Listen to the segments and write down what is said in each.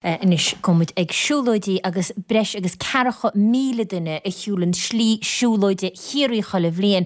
Anois gabhfaidh muid ag siúlóidí agus breis agus 40,000 duine a shiúlann slí siúlóide Chiarraí chuile bhliain,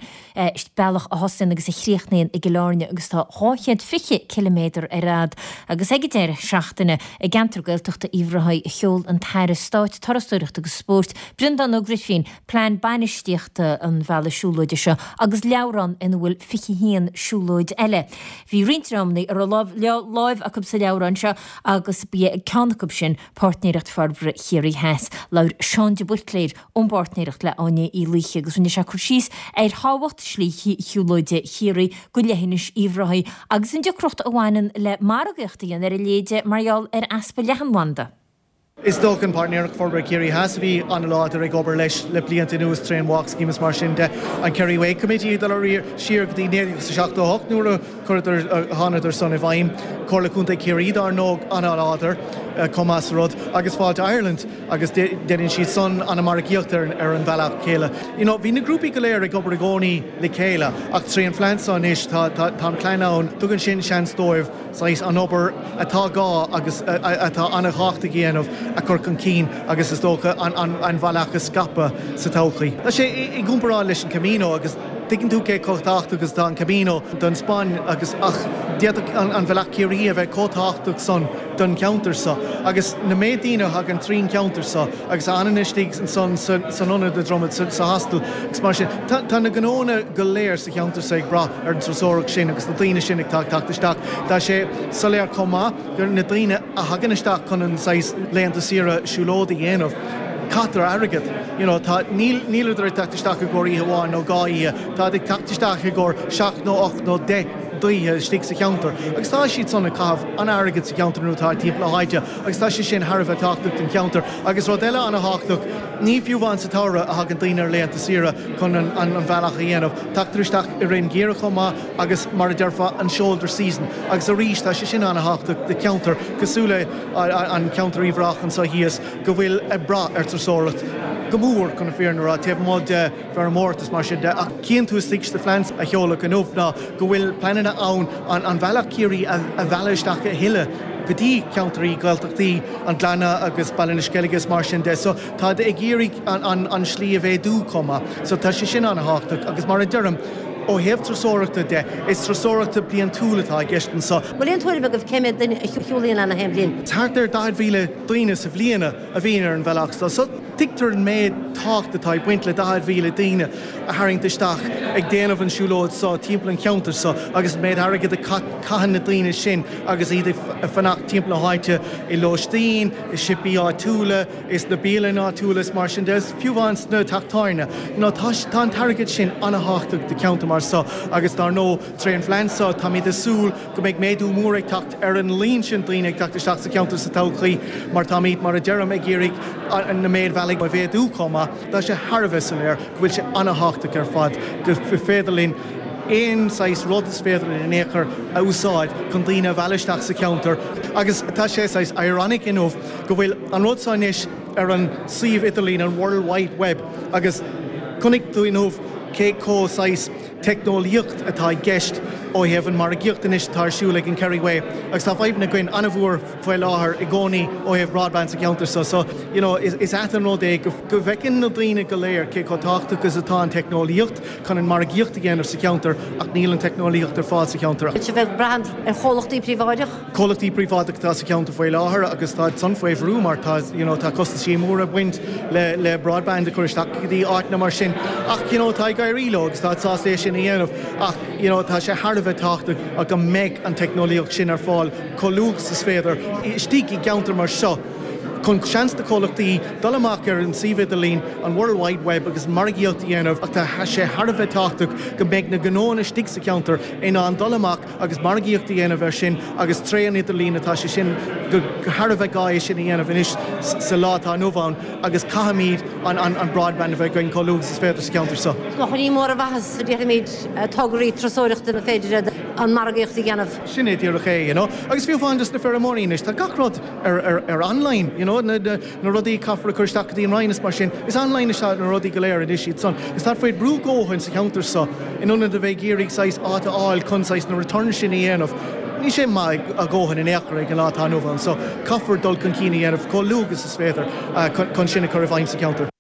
bealach a thosaíonn agus a chríochnaíonn i gCill Airne agus tá 220 ciliméadar ar fhad. Agus ag an deireadh seachtaine i gceantar Gaeltachta Uíbh Ráthaigh a sheol an tAire Stáit Turasóireachta agus Spóirt, Breandán Ó Grifín, plean bainistíochta an bhealaigh siúlóide seo agus leabhrán ina bhfuil 21 siúlóid eile. Bhí roinnt dreamanna a raibh láimh acu sa leabhrán seo agus ba é ceann acu sin Páirtnéireacht Forbartha Chiarraí Theas. Labhair Seán de Buitléir ón bPáirtnéireacht le Áine Uí Laoithe agus rinne sé cur síos ar thábhacht Slí Shiúlóide Chiarraí go leithinis Uíbh Ráthaigh agus an deacracht a bhaineann le margaíocht a dhéanamh ar a leithéid mar gheall ar easpa leathanbhanda. Is dócha an Páirtnéireacht Forbartha Chiarraí Theas a bhí an-láidir ag obair leis le blianta anuas tré an Walk Scheme is mar sin de. An Kerry Way Committee ag dul siar go dtí 1978 nuair a Chuireadar, thánadar san i bhfeidhm. Comhairle Contae Chiarraí dár ndóigh an-láidir chomh maith sa rud agus Fáilte Ireland agus déanann siad san an-margaíocht ar an bhealach céile. You know bhí na grúpaí go léir ag obair i gcónaí le chéile ach tré an phlean seo anois tá tá an plean ann, tugann sin seans dóibh saghas an obair atá gá agus atá an-thábhachtach a dhéanamh a chur chun cinn agus is dócha an bhealach a scaipeadh sa todhchaí. Tá sé i gcomparáid leis an Camino agus. Tuigeann tú cé chomh tábhachtach is atá an Camino don Spáinn agus ach d'fhéadfadh an Bhealach Ciarraí a bheith chomh tábhachtach san don cheantar seo agus na méid daoine a thagann trín cheantar seo agus a fhanann istigh ansan san ionad i Dromad sa hostel agus mar sin. Tá na gnóanna go léir sa cheantar seo ag brath ar an turasóireacht sin agus na daoine sin ag teacht isteach. Tá sé soiléir chomh maith gur na daoine a thagann isteach chun an saghas laethanta saoire siúlóid a dhéanamh, caitear airgead. You know, tá, níl, níleadar ag teacht isteach i gcomhair oíche amháin nó dhá oíche, táid ag teacht isteach i gcomhair seacht nó ocht nó deich d'oíche istigh sa cheantar agus tá siad san ag caitheamh an-airgead sa cheantar nuair atá timpeall na háite agus tá sé sin thar a bheith tábhachtach don cheantar. Agus rud eile an-thábhachtach, ní fiú amháin sa tsamhradh a thagann daoine ar laethanta saoire chun an, an, an bhealach a dhéanamh, tagtar isteach i rith an gheimhridh chomh maith agus mar a déarfá an shoulder season agus arís tá sé sin an-thábhachtach do cheantar cosúil le an ceantar Uíbh Ráthach anseo thíos go bhfuil ag brath ar turasóireacht go mór chun na fírinne a rá taobh amuigh de feirmeoireacht is mar sin de ach cíonn tú istigh sna plans a sheoladh inniu ná go bhfuil pleananna ann an bhealach Ciarraí a mhealladh isteach a thuilleadh go dtí ceantraí Gaeltachtaí an Ghleanna agus Baile na Sceilge is mar sin de so táid ag iarraidh an slí a mhéadú chomh maith so tá sé sin an-thábhachtach agus mar a deirim Ó thaobh turasóireachta de, is turasóireachta bliantúil atá i gceist anseo. Bhfuil aon tuairim agaibh cé mhéad duine a shiúlaíonn ann aon bhliain? Thart ar 40,000 daoine sa bhliain a bhíonn ar an bhealach seo, so tuigtear an méid tábhacht atá ag baint le 40,000 daoine a tharraingt isteach ag déanamh an siúlóid seo timpeall an cheantair seo agus an méid airgid a caitheann na daoine sin agus iad ag fanacht timpeall na háite i lóistín, i siopaí áitiúla. is na bialanna áitiúla is mar sin de, is fiú amháin sna teach tábhairne. You know, tá, tá an t-airgead sin an-thábhachtach do cheantar mar seo agus dár ndóigh, tré an phlean seo, táimid ag súil go mbeidh méadú mór ag teacht ar an líon sin daoine ag teacht isteach sa cheantar sa todhchaí mar táimid, mar a deirim, ag iarraidh na méid bhealaigh a mhéadú chomh maith. Tá sé thar a bheith soiléir go bhfuil sé an-thábhachtach ar fad go féidir linn aon saghas rud is féidir linn in aon chor a úsáid chun daoine a mhealladh isteach sa cheantar agus tá sé saghas ironic inniu go bhfuil an rud seo anois ar an suíomh idirlín, an World Wide Web, agus chonaic tú inniu cé chomh saghas teicneolaíocht atá i gceist ó thaobh an margaíocht anois atá ar siúl ag an Kerry Way agus tá fadhbanna againn an-mhór faoi láthair i gcónaí ó thaobh broadband sa cheantar seo so you know is ait an rud é go bhfeiceann na daoine go léir cé chomh tábhachtach is atá an teicneolaíocht chun an margaíocht a dhéanamh sa cheantar ach níl an teicneolaíocht ar fáil sa cheantar. Bhfuil sibh ag brath ar chomhlachtaí príobháideach? Comhlachtaí príobháideacha atá sa cheantar faoi láthair agus tá san faoi bhrú mar tá you know tá costaisí móra ag baint le le broadband a chur isteach go dtí áiteanna mar sin ach you know tá ag éirí leo agus tá sásta é sin a dhéanamh ach you know tá sé thar a bheith tábhachtach go mbeidh an teicneolaíocht sin ar fáil chomh luath is is féidir istigh i gceantar mar seo chun seans do chomhlachtaí dul amach ar an suíomh idirlín, an World Wide Web agus margaíocht a dhéanamh ach tá sé thar a bheith tábhachtach go mbeidh na gnóanna istigh sa cheantar in ann dul amach agus margaíocht a dhéanamh air sin agus tré an idirlíon atá sé sin go thar a bheith gá é sin a dhéanamh anois sa lá atá inniu ann agus caithfimid an broadband a bheith againn chomh luath agus is féidir sa cheantar seo. Is ní mór an mhaitheas a déarfaimid tograí turasóireachta na féidir an margaíocht a dhéanamh. Sin é díreach é, you know. Agus fiú amháin dos na feirmeoirí anois, tá gach rud ar ar online, you know, na na rudaí a caithfear a chur isteach go dtí an Roinn is mar sin, is online atá na rudaí go léir anois iad san. Is táid faoi brú dhóthain sa cheantar seo in ionad a bheith ag iarraidh saghas áit a fháil chun saghas na returns sin a dhéanamh. Níl sé maith a dhóthain in aon chor ag an lá atá inniu ann so caithfear dul chun cinn a dhéanamh chomh luath agus is féidir chun sin a chur i bhfeidhm sa cheantar.